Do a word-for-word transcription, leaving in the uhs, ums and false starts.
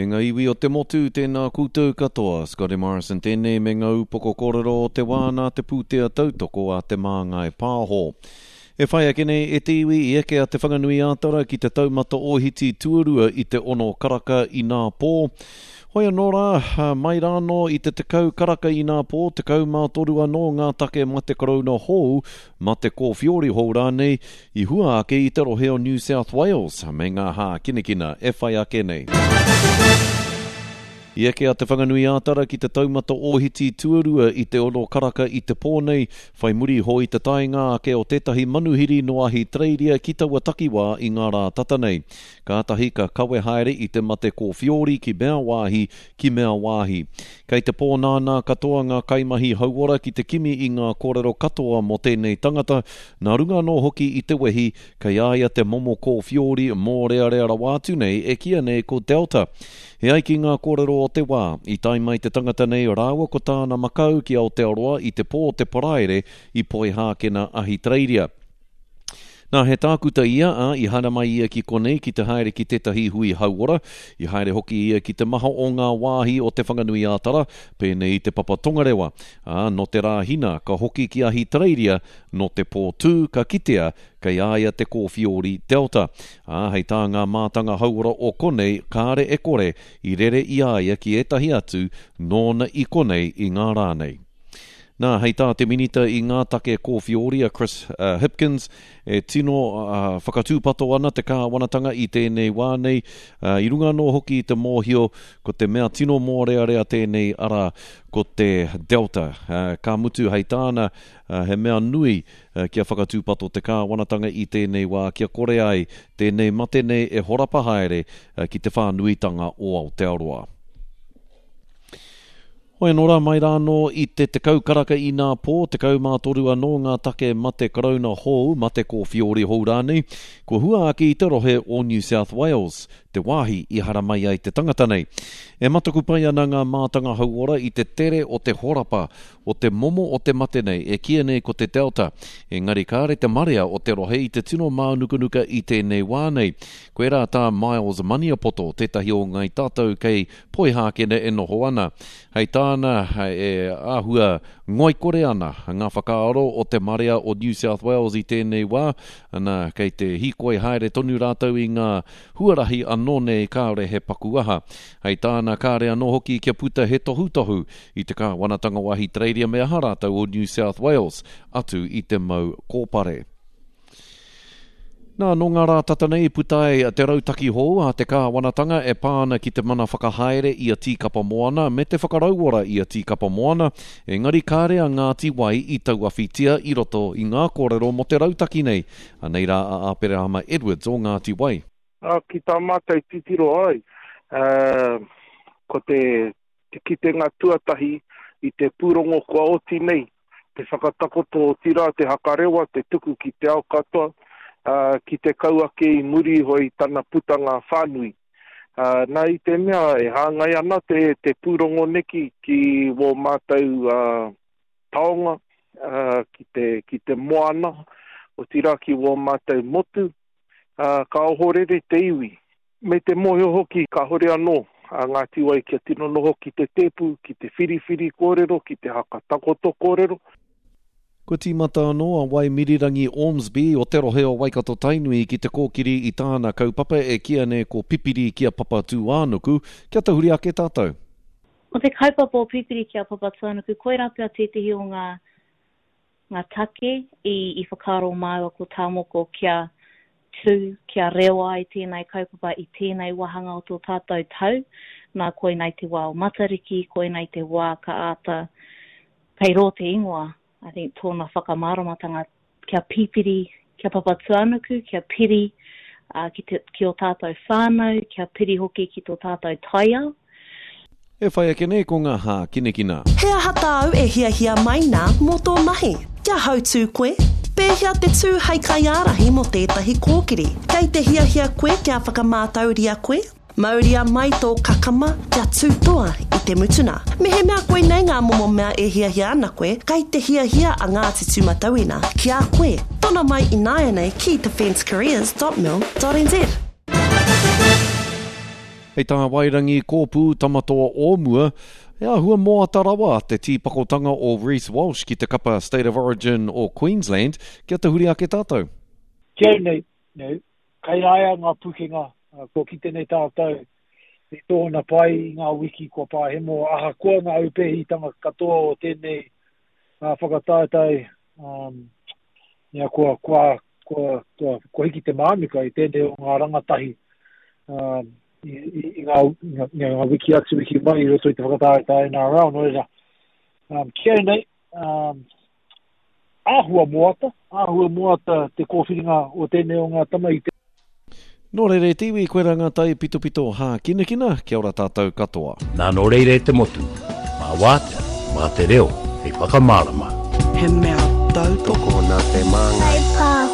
E ngā iwi o te motu, tēnā koutou katoa. Scotty Morrison tēnei me ngā upoko kōrero o te wā nā te pūtea tautoko a Te Māngai Pāho. E whai ake nei e te iwi i eke a Te Whanganui-ā-Tara ki te taumata ōhiti tuarua i te ono karaka inā pō. Hoi anō rā, mai rānō i te tekau karaka inā pō, tekau mā toru anō ngā take mate korouna hou, mate kōwhiori hou rānei, i hua ake i te rohe o New South Wales me ngā hākinakina e whai ake nei. I eke a Te Whanganui-ā-Tara ki te taumata ōhiti tuarua i te ono karaka i te pō nei, whai muri iho i te taenga ake o tētahi manuhiri nō Ahitereiria ki taua takiwā i ngā rā tata nei. Kātahi ka kawe haere i te mate kōwhiori ki mea wāhi, ki mea wāhi. Kei te pōnānā katoa ngā kaimahi hauora ki te kimi i ngā kōrero katoa mō tēnei tangata, nā runga anō hoki i te wehi kei a ia te momo kōwhiori mōrearea rawa atu nei e kīia nei ko Delta. E ai ki ngā kōrero o te wā, i tae mai te tangata nei rāua ko tāna makau ki Aotearoa i te pō o te Paraire i Poihākena, Ahitereiria. Nā, he tākuta ia, ā, i haere mai ia ki konei ki te haere ki tētahi hui hauora. I haere hoki ia ki te maha o ngā wāhi o Te Whanganui-ā-Tara, pēnei i Te Papa Tongarewa. Ā, nō te Rāhina, ka hoki ki Ahitereiria, nō te pō tū, ka kitea kei a ia te kōwhiori Delta. Ā, hei tā ngā mātanga hauora o konei, kāre e kore i rere i a ia ki ētahi atu nōna i konei i ngā rā nei. Nā, hei tā te Minita i ngā take kōwhiori a Chris Hipkins, e tino whakatūpato ana te kāwanatanga i tēnei wā nei, i runga anō hoki i te mōhio ko te mea tino mōrearea tēnei arā, ko te Delta. Ka mutu hei tāna, he mea nui kia whakatūpato te kāwanatanga i tēnei wā kia kore ai tēnei mate nei e horapa haere ki te whānuitanga o Aotearoa. Hoi anō rā, mai rā anō i te tekau karaka inā pō, tekau mā toru anō ngā take mate karauna hou, mate kōwhiori hou rānei, kua hua ake i te rohe o New South Wales, te wāhi i haramai ai te tangata nei. E mataku pai ana ngā mātanga hauora i te tere o te horapa o te momo o te mate nei e kīia nei ko te Delta, engari kāre te marea o te rohe i te tino mānukanuka i tēnei wā nei. Koirā tā Miles Maniapoto, tētahi o Ngai Tātou kei Poihākena e noho ana. Hei tāna, e āhua ngoikore ana ngā whakaaro o te marea o New South Wales i tēnei wā, ana, kei te hīkoi haere tonu rātou i ngā huarahi anō nei kāore he paku aha. Hei tāna, kāre anō hoki kia puta he tohutohu i te kāwanatanga o Ahitereiria me aha rātou o New South Wales, atu i te mau kōpare. Nā, nō ngā rā tata nei i puta ai te rautaki hou a te kāwanatanga e pā ana ki te mana whakahaere i a Tīkapa Moana me te whakarauora i a Tīkapa Moana, engari kāre a Ngāti Wai i tauawhitia i roto i ngā kōrero mō te rautaki nei. Anei rā a Aperahama Edwards o Ngāti Wai. Ā, ki tā mātou titiro ai, ā, ko te, te kitenga tuatahi i te pūrongo kua oti nei, te whakatakoto otirā te hakarewa, te tuku ki te ao katoa, ā, ki te kau ake i muri iho i tana putanga whānui. Ā, nā i te mea e hāngai ana te, te pūrongo neki ki wō mātou ā, taonga, ā, ki te, ki te moana, otirā ki wō mātou motu, ā, ka ohorere te iwi. Me te mōhio hoki kāhore anō a Ngāti Wai kia tino noho ki te tēpu, ki te whiriwhiri kōrero, ki te hakatakoto kōrero. Kua tīmata anō a Waimirirangi Ormsby o te rohe o Waikato-Tainui ki te kōkiri i tāna kaupapa e kīia nei ko Pipiri ki a Papatūānuku, kia tahuri ake tātou. Ko te kaupapa o Pipiri ki a Papatūānuku, koirā pea tētehi o ngā ngā take i i whakaaro māua ko Tāmoko kia tū, kia rewa ai tēnei kaupapa i tēnei wāhanga o tō tātou tau, nā koinei te wā o Matariki, koinei te wā ka āta, kei rō te ingoa, I think tōna whakamāramatanga kia pipiri, kia Papatūānuku, kia piri ki te, ki ō tātou whānau, kia piri hoki ki tō tātou taiao. E whai ake nei ko ngā hākinakina. He aha tāu e hiahia mai nā mō tō mahi? Kia hautū koe? Pēhea te tū hei kaiārahi mō tētahi kōkiri? Kei te hiahia koe kia whakamātauria koe? Mauria mai tō kakama kia tū toa i te mutuna. Mehemea koinei ngā momo mea e hiahia ana koe, kei te hiahia a Ngāti Tūmatauena ki a koe. Tono mai ināianei ki defencecareers dot mil dot nz. Hei tā Wairangi Kōpū Tamatoa o mua, he āhua moata rawa te tīpakotanga o Reece Walsh ki te kapa State of Origin o Queensland, kia tahuri ake tātou. Ki au nei, you know, kei a ia ngā pukenga, kua kite nei tātou i tōna pai i ngā wiki kua pāhemo, ahakoa ngā aupēhitanga katoa o tēnei whakataetae, um, ia, kua, kua, kua, kua, kua hiki te mānuka i tēnei o ngā rangatahi um, i, i, i ngā, i ngā, ngā wiki atu, wiki mai i roto i te whakataetae N R L. Nō reira, um, ki au nei, um, āhua moata, āhua moata te kōwhiringa o tēnei o ngā tama i te. Nō reira e te iwi, koe rā ngā tai pitopito hākinakina, kia ora tātou katoa. Nā nō reira e te motu, mā wātea, mā te reo, hei whakamārama. He mea tautoko nā te māngai. Kai pā.